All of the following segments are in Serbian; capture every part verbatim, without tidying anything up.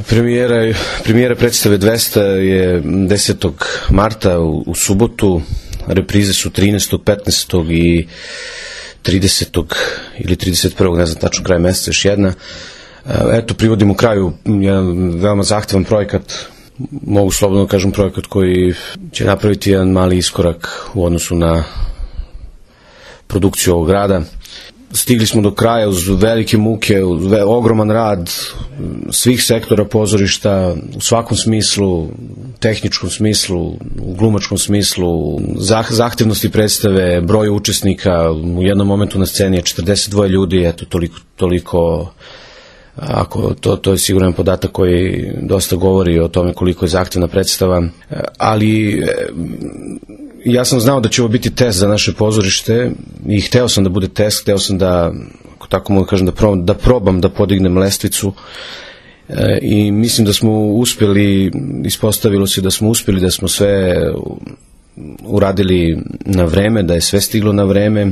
Premijera, premijera predstave dvesta je desetog marta u, u subotu, reprize su trinaestog, petnaestog i tridesetog ili trideset prvog, ne znam tačno, kraj meseca još jedna. Eto, privodimo kraju jedan veoma zahtevan projekat, mogu slobodno kažem projekat koji će napraviti jedan mali iskorak u odnosu na produkciju ovog rada. Stigli smo do kraja uz velike muke, uz ogroman rad svih sektora pozorišta, u svakom smislu, tehničkom smislu, u glumačkom smislu, zahtevnosti predstave, broj učesnika, u jednom momentu na sceni je četrdeset dva ljudi, eto, toliko, toliko ako to, to je siguran podatak koji dosta govori o tome koliko je zahtevna predstava, ali ja sam znao da će ovo biti test za naše pozorište i hteo sam da bude test, hteo sam da, ako tako mogu kažem, da probam, da probam da podignem lestvicu i mislim da smo uspeli, ispostavilo se da smo uspeli, da smo sve uradili na vreme, da je sve stiglo na vreme.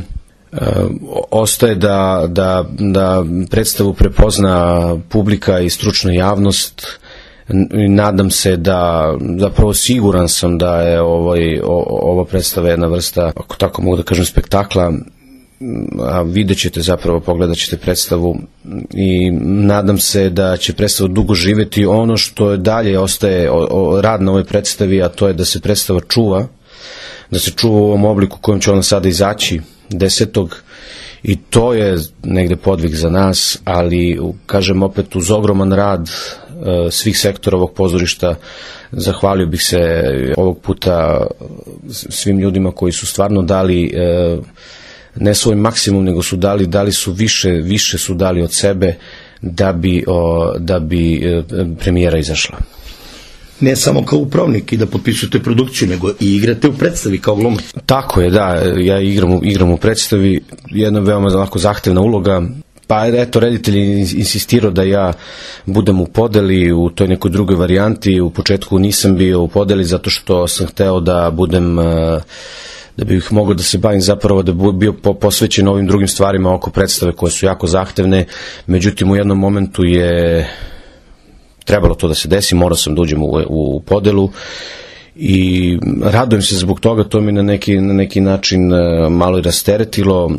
Ostaje da, da, da predstavu prepozna publika i stručna javnost. Nadam se da, zapravo siguran sam da je ovaj, ova predstava jedna vrsta, ako tako mogu da kažem, spektakla, a vidjet ćete, zapravo pogledat ćete predstavu i nadam se da će predstava dugo živeti. Ono što je dalje ostaje o, o, rad na ovoj predstavi, a to je da se predstava čuva, da se čuva u ovom obliku kojom će ona sada izaći desetog i to je negde podvig za nas, ali kažem opet uz ogroman rad e, svih sektora ovog pozorišta. Zahvalio bih se ovog puta svim ljudima koji su stvarno dali e, ne svoj maksimum, nego su dali, dali su više, više su dali od sebe da bi, o, da bi e, premijera izašla. Ne samo kao upravnik i da potpisujete produkciju, nego i igrate u predstavi kao glumac. Tako je, da, ja igram, igram u predstavi, jedna veoma lako zahtevna uloga, pa eto, reditelj je insistirao da ja budem u podeli, u toj nekoj drugoj varijanti. U početku nisam bio u podeli zato što sam hteo da budem, da bih mogao da se bavim, zapravo da bi bio posvećen ovim drugim stvarima oko predstave koje su jako zahtevne, međutim u jednom momentu je trebalo to da se desi, morao sam da uđem u, u podelu i radujem se zbog toga, to mi na neki, na neki način malo i rasteretilo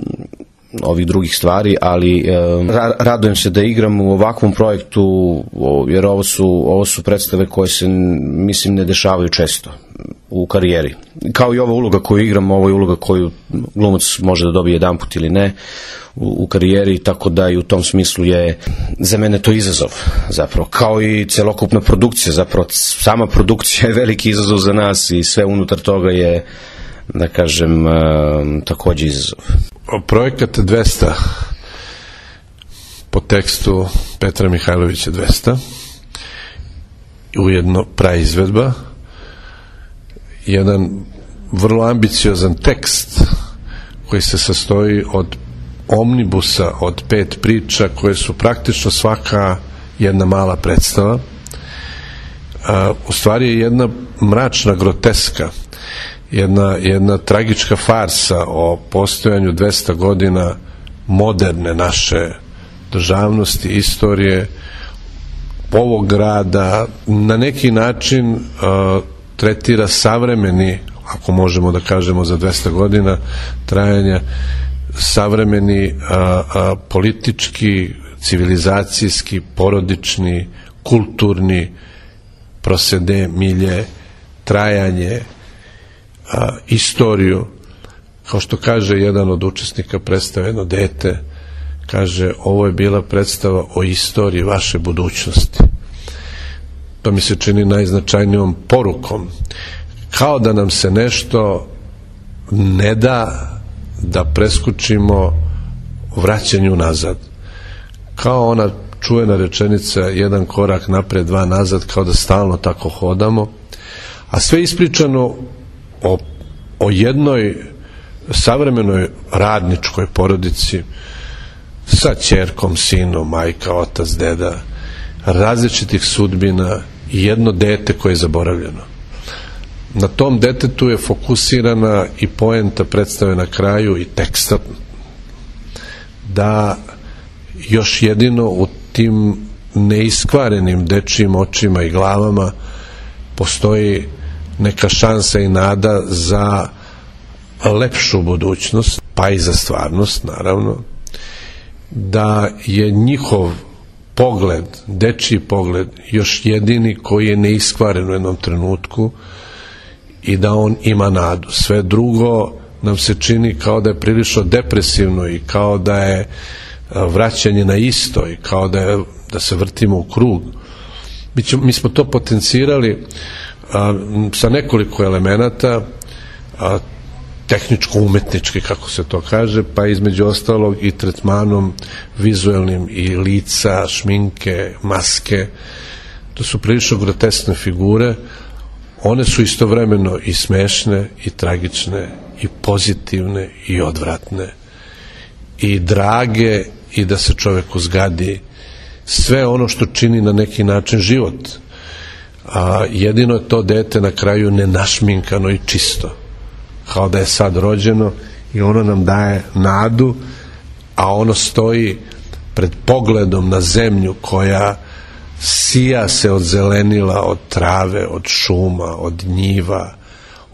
ovih drugih stvari, ali ra, radujem se da igram u ovakvom projektu, jer ovo su, ovo su predstave koje se, mislim, ne dešavaju često u karijeri. Kao i ova uloga koju igram, ovo je uloga koju glumac može da dobije jedan put ili ne u, u karijeri, tako da i u tom smislu je za mene to izazov, zapravo, kao i celokupna produkcija, zapravo sama produkcija je veliki izazov za nas i sve unutar toga je, da kažem, takođe izazov. Projekat dvesta po tekstu Petra Mihajlovića dvesta, ujedno praizvedba, jedan vrlo ambiciozan tekst koji se sastoji od omnibusa, od pet priča koje su praktično svaka jedna mala predstava. U stvari je jedna mračna groteska, jedna, jedna tragička farsa o postojanju dvesta godina moderne naše državnosti, istorije, ovog grada, na neki način uh, tretira savremeni, ako možemo da kažemo za dvesta godina trajanja, savremeni a, a, politički, civilizacijski, porodični, kulturni prosede, milje, trajanje, a, istoriju. Kao što kaže jedan od učesnika predstave, jedno dete, kaže, ovo je bila predstava o istoriji vaše budućnosti. To mi se čini najznačajnijom porukom. Kao da nam se nešto ne da da preskučimo vraćanju nazad. Kao ona čuvena rečenica, jedan korak napred, dva nazad, kao da stalno tako hodamo. A sve ispričano o, o jednoj savremenoj radničkoj porodici sa ćerkom, sinom, majka, otac, deda, različitih sudbina i jedno dete koje je zaboravljeno. Na tom detetu je fokusirana i poenta predstave na kraju i teksta, da još jedino u tim neiskvarenim dečijim očima i glavama postoji neka šansa i nada za lepšu budućnost, pa i za stvarnost, naravno, da je njihov pogled, dečiji pogled, još jedini koji je neiskvaren u jednom trenutku i da on ima nadu. Sve drugo nam se čini kao da je prilično depresivno i kao da je vraćanje na isto i kao da, je, da se vrtimo u krug. Mi, ćemo, mi smo to potencirali a, sa nekoliko elemenata, a, tehničko-umetnički, kako se to kaže, pa između ostalog i tretmanom vizuelnim i lica, šminke, maske. To su prilično groteskne figure. One su istovremeno i smešne, i tragične, i pozitivne, i odvratne, i drage, i da se čoveku zgadi. Sve ono što čini na neki način život. A jedino je to dete na kraju nenašminkano i čisto, kao da je sad rođeno, i ono nam daje nadu, a ono stoji pred pogledom na zemlju koja sija se od zelenila, od trave, od šuma, od njiva,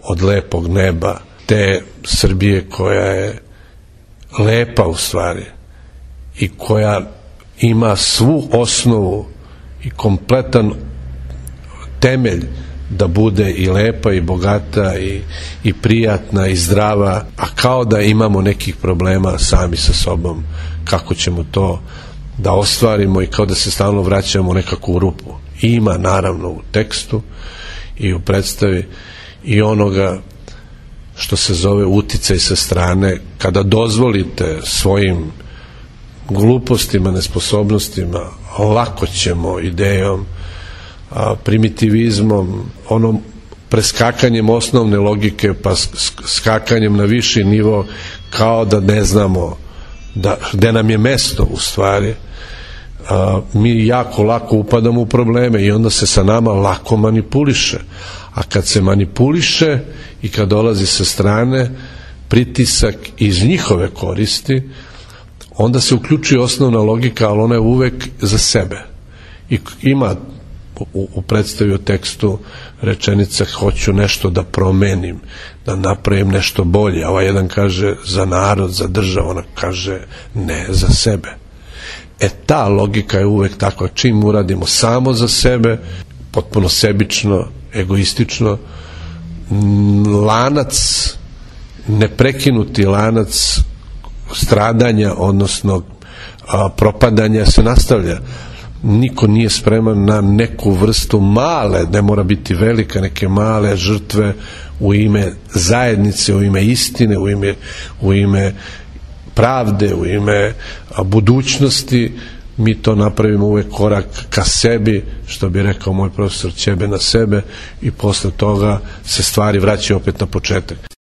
od lepog neba, te Srbije koja je lepa u stvari i koja ima svu osnovu i kompletan temelj da bude i lepa i bogata i, i prijatna i zdrava, a kao da imamo nekih problema sami sa sobom, kako ćemo to da ostvarimo i kao da se stalno vraćamo u nekakvu rupu. Ima naravno u tekstu i u predstavi i onoga što se zove uticaj sa strane, kada dozvolite svojim glupostima, nesposobnostima, lako ćemo idejom, a, primitivizmom, onom preskakanjem osnovne logike pa skakanjem na viši nivo, kao da ne znamo da, gde nam je mesto u stvari, a, mi jako lako upadamo u probleme i onda se sa nama lako manipuliše. A kad se manipuliše i kad dolazi sa strane pritisak iz njihove koristi, onda se uključuje osnovna logika, ali ona je uvek za sebe. I ima u, u predstavi o tekstu rečenica hoću nešto da promenim, da napravim nešto bolje, a ovaj jedan kaže za narod, za državu, ona kaže ne, za sebe. E ta logika je uvek takva, čim uradimo samo za sebe, potpuno sebično, egoistično, lanac, neprekinuti lanac stradanja, odnosno a, propadanja se nastavlja. Niko nije spreman na neku vrstu male, ne mora biti velika, neke male žrtve u ime zajednice, u ime istine, u ime, u ime pravde, u ime a, budućnosti. Mi to napravimo uvek korak ka sebi, što bi rekao moj profesor, ćebe na sebe, i posle toga se stvari vraćaju opet na početak.